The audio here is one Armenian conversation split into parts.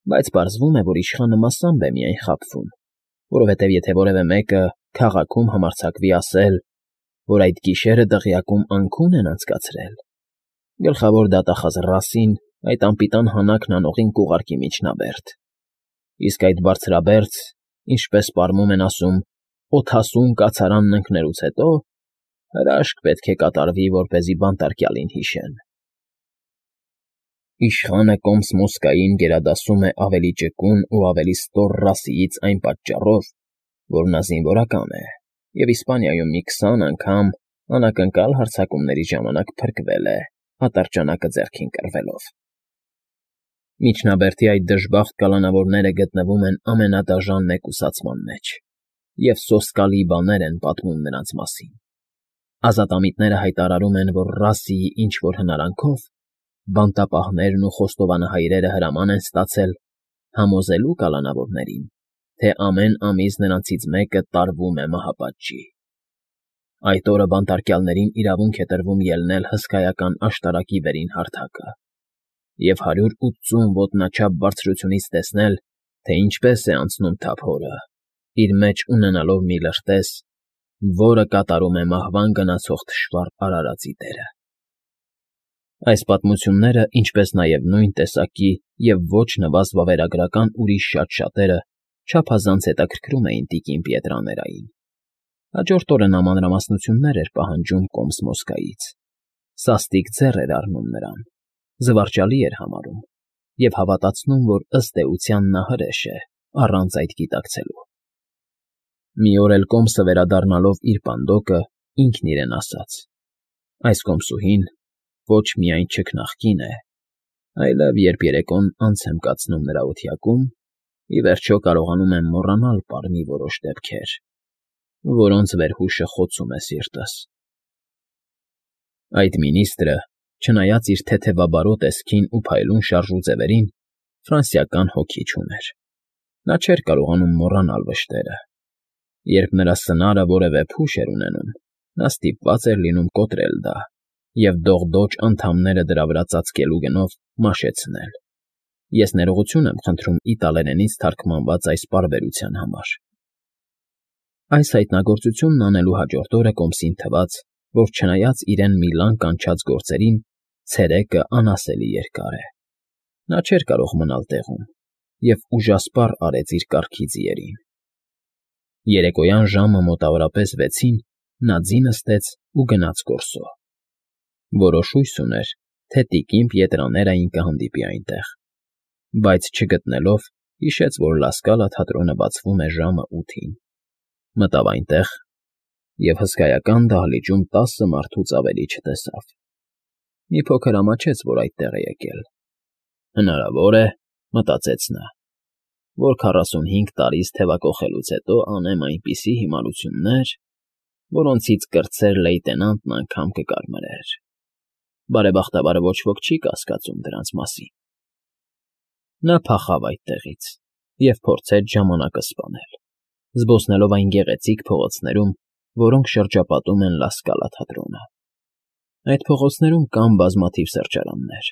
Բայց պարզվում է, որ իշխանը մասամբ է միայն խաբվում, որովհետև եթե որևէ մեկը քաղաքում համարձակվի ասել, որ այդ գիշերը դղյակում անքուն են անցկացրել, գլխավոր դատախազ Ռասին այդ անպիտան հանաքն անողին կուղարկի միջնաբերդ, իսկ այդ բարձրաբերձ, ինչպես պարմում են ասում, օդասուն կացարանն ընկնելուց հետո հրաշք պետք է կատարվի, որպեսզի բանտարկյալին հիշեն։ Իշխանը Կոմս֊Մոսկային գերադասում է ավելի ճկուն ու ավելի ստոր Ռասիից այն պատճառով, որ նա զինվորական է և Իսպանիայում մի 20 անգամ անակնկալ հարձակումների ժամանակ փրկվել է, ատրճանակը ձեռքին կռվելով։ Միջնաբերդի այդ դժբախտ կալանավորները գտնվում են ամենադաժան մեկուսացման մեջ, և սոսկալի բաներ են պատմում նրանց մասին։ Ազատամիտները հայտարարում են, որ Ռասիի ինչ֊որ հնարանքով բանտապահներն ու խոստովանահայրերը հրաման են ստացել համոզելու կալանավորներին, թե ամեն ամիս նրանցից մեկը տարվում է մահապատժի։ Այդ օրը բանտարկյալներին իրավունք է տրվում ելնել հսկայական աշտարակի վերին հարթակը և 180 ոտնաչափ բարձրությունից տեսնել, թե ինչպես է անցնում թափորը, իր մեջ ունենալով մի լրտես, որը կատարում է մահվան գնացող թշվառ արարածի դերը։ Այս պատմությունները, ինչպես նաև նույն տեսակի և ոչ նվազ վավերագրական ուրիշ շատ-շատերը չափազանց հետաքրքրում էին տիկին Պիետրաներային։ Հաջորդ օրը նա մանրամասնություններ էր պահանջում Կոմս֊Մոսկայից, սաստիկ ձեռ էր առնում նրան, զվարճալի էր համարում և հավատացնում, որ ըստ էության նա հրեշ է, առանց այդ գիտակցելու։ Մի օր էլ Կոմսը վերադառնալով իր պանդոկը, ինքն իրեն ասաց. «Այս կոմսուհին ոչ միայն չքնաղկին է, այլև երբ երեկոն անց եմ կացնում նրա օթյակում, ի վերջո կարողանում եմ մոռանալ պարմի որոշ դեպքեր, որոնց վերհուշը խոցում է սիրտս»։ Այդ մինիստրը, չնայած իր թեթևաբարո տեսքին ու փայլուն շարժուձևերին, ֆրանսիական հոգի չուներ։ Նա չէր կարողանում մոռանալ վշտերը։ Երբ նրա սնարը որևէ փուշ էր ունենում, նա ստիպված էր լինում կոտրել դա և դողդոջ անդամները դրա վրա ծածկելու գնով մաշեցնել։ Ես ներողություն եմ խնդրում իտալերենից թարգմանված այս պարբերության համար։ Այս հայտնագործությունն անելու հաջորդ օրը կոմսին թվաց, որ չնայած իրեն մի լան կանչած գործերին, ցերեկը անասելի երկար է։ Նա չէր կարող մնալ տեղում և ուժասպառ արեց իր կառքի ձիերին։ Երեկոյան ժամը մոտավորապես 6-ին նա ձի նստեց ու գնաց գործո։ Որոշ հույս ուներ, թե տիկին Պիետրաներային կհանդիպի այնտեղ, բայց չգտնելով, հիշեց, որ Լասկալա թատրոնը բացվում է ժամը 8-ին։ Մտավ այնտեղ և հսկայական դահլիճում 10 մարդուց ավելի չտեսավ։ Մի փոքր ամաչեց, որ այդտեղ է եկել։ Հնարավոր է, մտածեց նա, որ 45 տարիս թևակոխելուց հետո անեմ այնպիսի հիմարություններ, որոնցից կրտսեր լեյտենանտն անգամ կկարմրեր։ Բարեբախտաբար ոչ ոք չի կասկածում դրանց մասին։ Նա փախավ այդտեղից և փորձեց ժամանակը սպանել, զբոսնելով այն գեղեցիկ փողոցներում, որոնք շրջապատում են Լասկալա թատրոնը։ Այդ փողոցներում կան բազմաթիվ սրճարաններ,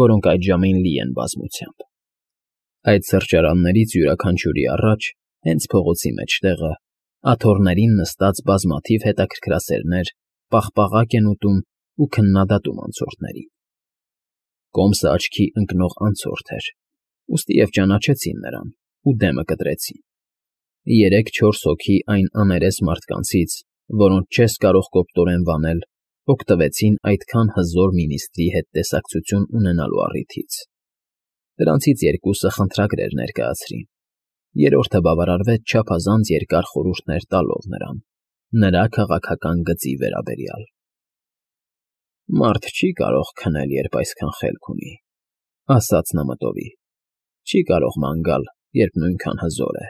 որոնք այդ ժամին լի են բազմությամբ։ Այդ սրճարաններից յուրաքանչյուրի առաջ, հենց փողոցի մեջտեղը, աթոռներին նստած բազմաթիվ հետաքրքրասերներ պաղպաղակ են ուտում ու քննադատում անցորդներին։ Կոմսը աչքի ընկնող անցորդ էր, ուստի և ճանաչեցին նրան ու դեմը կտրեցին։ 3-4 հոգի այն աներես մարդկանցից, որոնց չես կարող կոպտորեն վանել, օգտվեցին այդքան հզոր մինիստրի հետ տեսակցություն ունենալու առիթից։ Դրանցից 2-ը խնդրագրեր ներկայացրին, երրորդը բավարարվեց չափազանց երկար խորհուրդներ տալով նրան, նրա քաղաքական գծի վերաբերյալ։ «Մարդ չի կարող քնել, երբ այսքան խելք ունի,֊ ասաց նա մտովի,֊ չի կարող ման գալ, երբ նույնքան հզոր է»։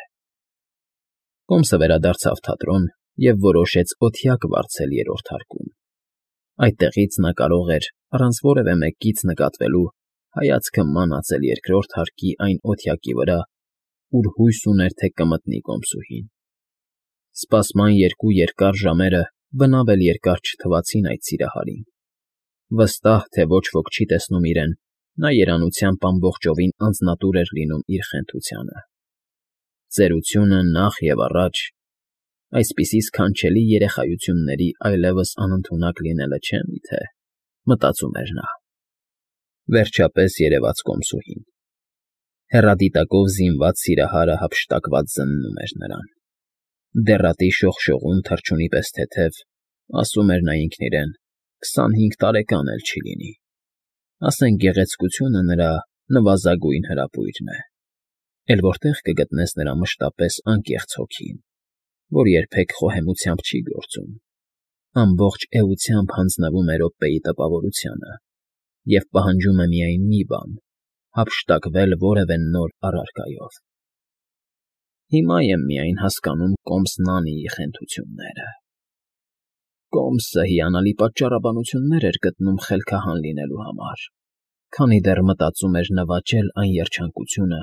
Կոմսը վերադարձավ թատրոն և որոշեց օթյակ վարձել երրորդ հարկում։ Այդտեղից նա կարող էր, առանց որևէ մեկից նկատվելու, հայացքը մանածել երկրորդ հարկի այն օթյակի վրա, ուր հույս ուներ, թե կմտնի կոմսուհին։ Սպասման 2 երկար ժամերը բնավ էլ երկար չթվացին այդ սիրահարին։ Վստահ, թե ոչ ոք չի տեսնում իրեն Նա երանությամբ ամբողջովին անձնատուր էր լինում իր խենթությանը։ Ծերությունը նախ և առաջ, այսպիսի սքանչելի երեխայությունների այլևս անընդունակ լինելը չէ՞ միթե, մտածում էր նա։ Վերջապես երևաց կոմսուհին։ Հեռադիտակով զինված սիրահարը հափշտակված զննում էր նրան։ Դեռատի շողշողուն թռչունի պես թեթև, ասում էր նա ինքն իրեն, 25 տարեկան էլ չի լինի։ Ասենք գեղեցկությունը նրա նվազագույն հրապույրն է։ Էլ որտե՞ղ կգտնես նրա մշտապես անկեղծ հոգին, որ երբեք խոհեմությամբ չի գործում, ամբողջ էությամբ հանձնվում է րոպեի տպավորությանը և պահանջում է միայն մի բան՝ հափշտակվել որևէ նոր առարկայով։ Հիմա եմ միայն հասկանում կոմս Նանիի խենթությունները։ Կոմսը հիանալի պատճառաբանություններ էր գտնում խելքահան լինելու համար, քանի դեռ մտածում էր նվաճել այն երջանկությունը,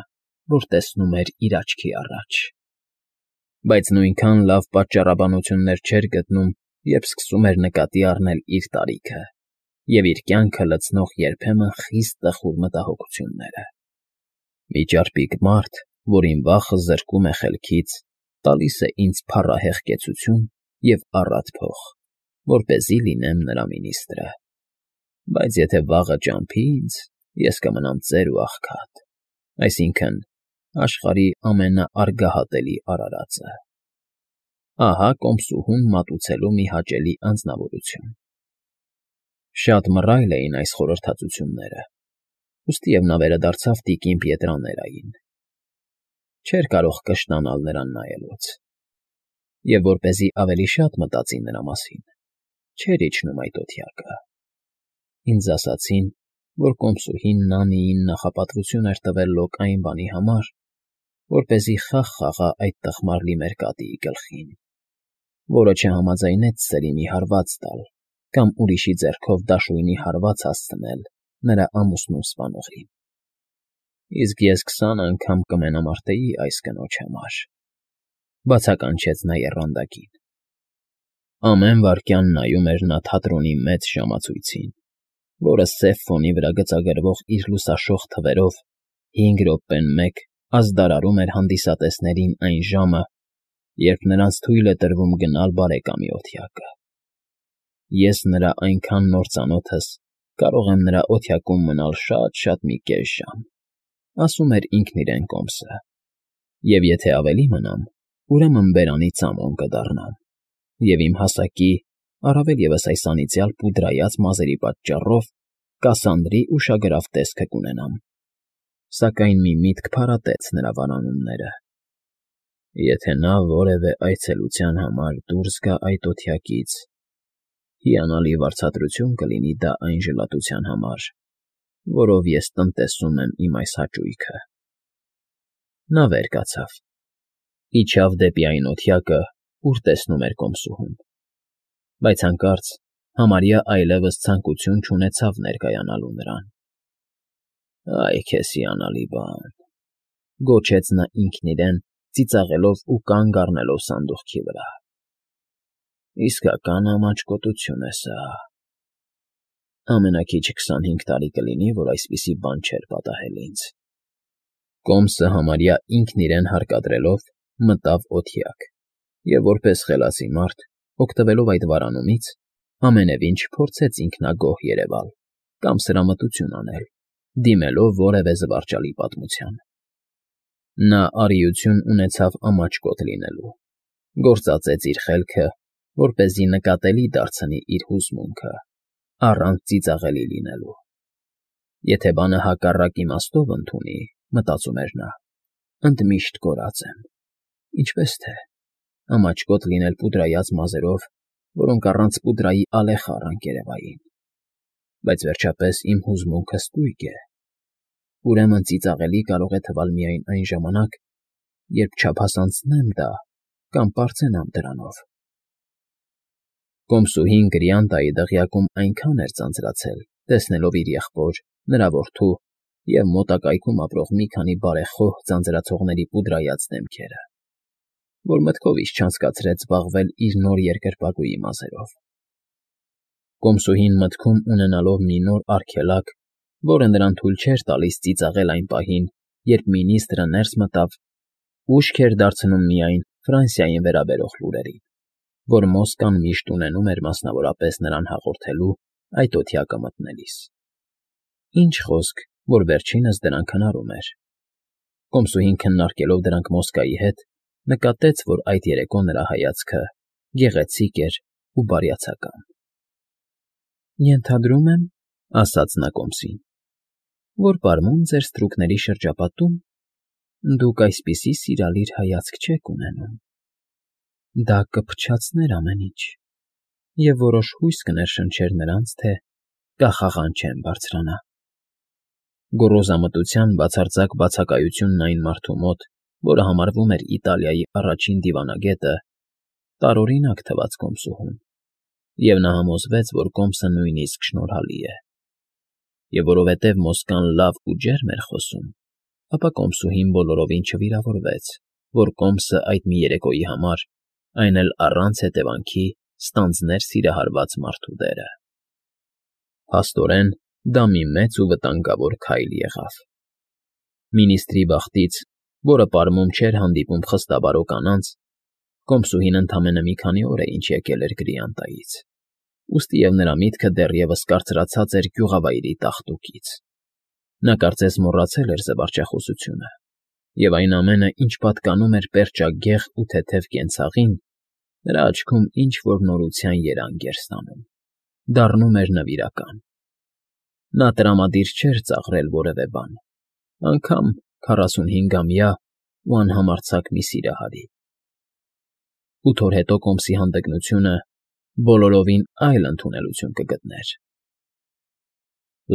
որ տեսնում էր իր աչքի առաջ։ Բայց նույնքան լավ պատճառաբանություններ չէր գտնում, երբ սկսում էր նկատի առնել իր տարիքը և իր կյանքը լցնող երբեմն խիստ տխուր մտահոգությունները։ Մի ճարպիկ մարդ, որին վախը զրկում է խելքից, տալիս է ինձ փառահեղ կեցություն և առատ փող, որպեսզի լինեմ նրա մինիստրը։ Բայց եթե վաղը ճամփի ինձ, ես կմնամ ծեր ու աղքատ, այսինքն՝ աշխարհի ամենաարգահատելի արարածը։ Ահա կոմսուհուն մատուցելու մի հաճելի անձնավորություն։ Շատ մռայլ էին այս խորհրդածությունները, ուստիև նա վերադարձավ տիկին Պիետրաներային։ Չէր կարող կշտանալ նրան նայելուց։ Եվ որպեսզի ավելի շատ մտածի նրա մասին, չէր իջնում այդ օթյակը։ Ինձ ասացին, որ կոմսուհին Նանիին նախապատվություն էր տվել լոկ այն բանի համար, որպեսզի խաղ խաղա այդ տխմար Լիմերկատիի գլխին, որը չհամաձայնեց Սերինի հարված տալ կամ ուրիշի ձեռքով դաշույնի հարված հասցնել նրա ամուսնուն սպանողին։ Իսկ ես 20 անգամ կմենամարտեի այս կնոջ համար, բացականչեց նա եռանդակին։ Ամեն վայրկյան նայում էր նա թատրոնի մեծ ժամացույցին, որը սև ֆոնի վրա գծագրվող իր լուսաշող թվերով 5 րոպեն մեկ ազդարարում էր հանդիսատեսներին այն ժամը, երբ նրանց թույլ է տրվում գնալ բարեկամի օթյակը։ Ես նրա այնքան նոր ծանոթս կարող եմ նրա օթյակում մնալ շատ մի կես ժամ, ասում էր ինքն իրեն կոմսը, և եթե ավելի մնամ, ուրեմն բերանի ծամոն կդառնամ, և իմ հասակի, առավել ևս այս անիծյալ պուդրայած մազերի պատճառով Կասանդրի ուշագրավ տեսքը կունենամ։ Սակայն մի միտք փարատեց նրա վանանումները. եթե նա որևէ այցելության համար դուրս գա այդ օթյակից, հիանալի վարձատրություն կլինի դա այն ժլատության համար, որով ես տնտեսում եմ իմ այս հաճույքը։ Նա վեր կացավ, իջավ դեպի այն օթյակը, ուր տեսնում էր կոմսուհուն, բայց հանկարծ համարյա այլևս ցանկություն չունեցավ ներկայանալու նրան։ Այ քեզ հիանալի բան, գոչեց նա ինքն իրեն, ծիծաղելով ու կանգ առնելով սանդուղքի վրա։ Իսկական ամաչկոտություն է սա։ Ամենաքիչը 25 տարի կլինի, որ այսպիսի բան չէր պատահել ինձ։ Կոմսը համարյա ինքն իրեն հարկադրելով մտավ օթյակ և որպես խելացի մարդ, օգտվելով այդ վարանումից, ամենևին չփորձեց ինքնագոհ երևալ կամ սրամտություն անել, դիմելով որևէ զվարճալի պատմության։ Նա արիություն ունեցավ ամաչկոտ լինելու, գործածեց իր խելքը, որպեսզի նկատելի դարձնի իր հուզմունքը, առանց ծիծաղելի լինելու։ Եթե բանը հակառակ իմաստով ընդունի, մտածում էր նա, ընդմիշտ կորած եմ։ Ինչպես թե, ամաչկոտ լինել պուդրայած մազերով, որոնք առանց պուդրայի ալեխառ անկերևային։ Բայց վերջապես իմ հուզմունքը ստույգ է։ Ուրեմն ծիծաղելի կարող է թվալ միայն այն ժամանակ, երբ չափազանցնեմ դա կամ պարծենամ դրանով։ Կոմսուհին Գրիանտայի դղյակում այնքան էր ձանձրացել, տեսնելով իր եղբոր, նրա որդու և մոտակայքում ապրող մի քանի բարեխոհ ձանձրացողների պուդրայած դեմքերը, որ մտքովից չանցկացրեց զբաղվել իր նոր երկրպագուի մազերով։ Կոմսուհին մտքում ունենալով մի նոր արգելակ, որը նրան թույլ չէր տալիս ծիծաղել այն պահին, երբ մինիստրը ներս մտավ, ուշք էր դարձնում միայն Ֆրանսիային վերաբերող լուրերին, որ Մոսկվան միշտ ունենում էր մասնավորապես նրան հաղորդելու այդ օդյակը մտնելիս։ Ինչ խոսք, որ վերջինս դրանք հնարում էր։ Կոմսուհին քննարկելով դրանք Մոսկվայի հետ, նկատեց, որ այդ երեկո նրա հայացքը գեղեցիկ էր ու բարյացակամ։ «Ենթադրում եմ,֊ ասաց նա կոմսին,֊ որ պարմուն ձեր ստրուկների շրջապատում դուք այսպիսի սիրալիր հայացք չեք ունենում. դա կփչացներ ամեն ինչ և որոշ հույս կներշնչեր նրանց, թե կախաղան չեն բարձրանա»։ Գոռոզամտության բացարձակ բացակայությունն այն մարդու մոտ, որը համարվում էր Իտալիայի առաջին դիվանագետը, տարօրինակ թվաց կոմսուհուն, և նա համոզվեց, որ կոմսը նույնիսկ շնորհալի է։ Եվ որովհետև Մոսկվան լավ ու ջերմ էր խոսում, ապա կոմսուհին բոլորովին չվիրավորվեց, որ կոմսը այդ մի երեկոյի համար, այն էլ առանց հետևանքի, ստանձներ սիրահարված մարդու դերը։ Փաստորեն, դա մի մեծ ու վտանգավոր քայլ եղավ։ Մինիստրի բախտից, որը պարմում չէր հանդիպում խստաբարո կանանց, կոմսուհին ընդամենը մի քանի օր է ինչ եկել էր Գրիանտայից, ուստիև նրա միտքը դեռևս կարծրացած էր գյուղավայրի տաղտուկից։ Նա կարծես մոռացել էր զվարճախոսությունը, և այն ամենը, ինչ պատկանում էր պերճագեղ ու թեթև կենցաղին, նրա աչքում ինչ֊որ նորության երանգ էր ստանում, դառնում էր նվիրական։ Նա տրամադիր չէր ծաղրել որևէ բան, անգամ 45-ամյա ու անհամարձակ մի սիրահարի։ 8 օր հետո կոմսի հանդգնությունը բոլորովին այլ ընդունելություն կգտներ։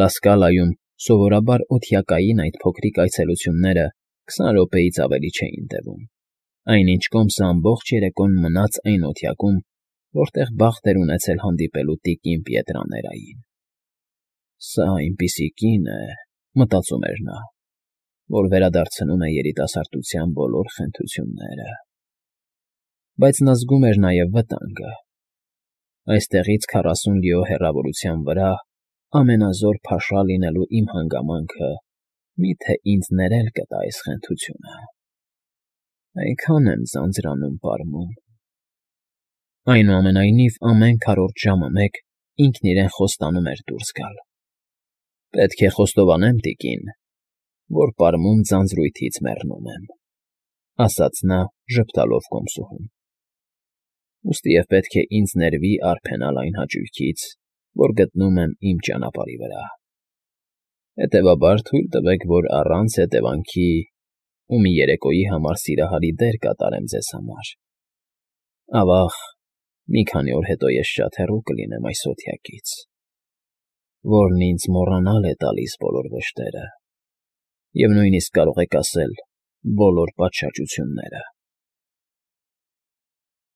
Լասկալայում սովորաբար օդյակային այդ փոքրիկ այցելությունները 20 րոպեից ավելի չէին տևում, այնինչ կոմսը ամբողջ երեկոն մնաց այն օդյակում, որտեղ բախտ էր ունեցել հանդիպելու տիկին Պիետրաներային։ «Սա այնպիսի կին է,֊ մտածում էր նա,֊ որ վերադարձնում է երիտասարդության բոլոր խենթությունները»։ Բայց նա զգում էր նաև վտանգը։ Այստեղից 40 լիո հեռավորության վրա ամենազոր փաշա լինելու իմ հանգամանքը մի՞թե ինձ ներել կտա այս խենթությունը։ Այնքան եմ ձանձրանում, պարմուն։ Այնուամենայնիվ, ամեն քառորդ ժամը մեկ ինքն իրեն խոստանում էր դուրս գալ։ «Պետք է խոստովանեմ, տիկին, որ պարմուն ձանձրույթից մեռնում եմ,֊ ասաց նա՝ ժպտալով կոմսուհուն։ «Ուստիև պետք է ինձ ներվի արբենալ այն հաճույքից, որ գտնում եմ իմ ճանապարհի վրա։ Հետևաբար թույլ տվեք, որ առանց հետևանքի ու մի երեկոյի համար սիրահարի դեր կատարեմ ձեզ համար։ Ավա՜ղ, մի քանի օր հետո ես շատ հեռու կլինեմ այս օդյակից, որն ինձ մոռանալ է տալիս բոլոր վշտերը և նույնիսկ կարող եք ասել՝ բոլոր պատշաճությունները»։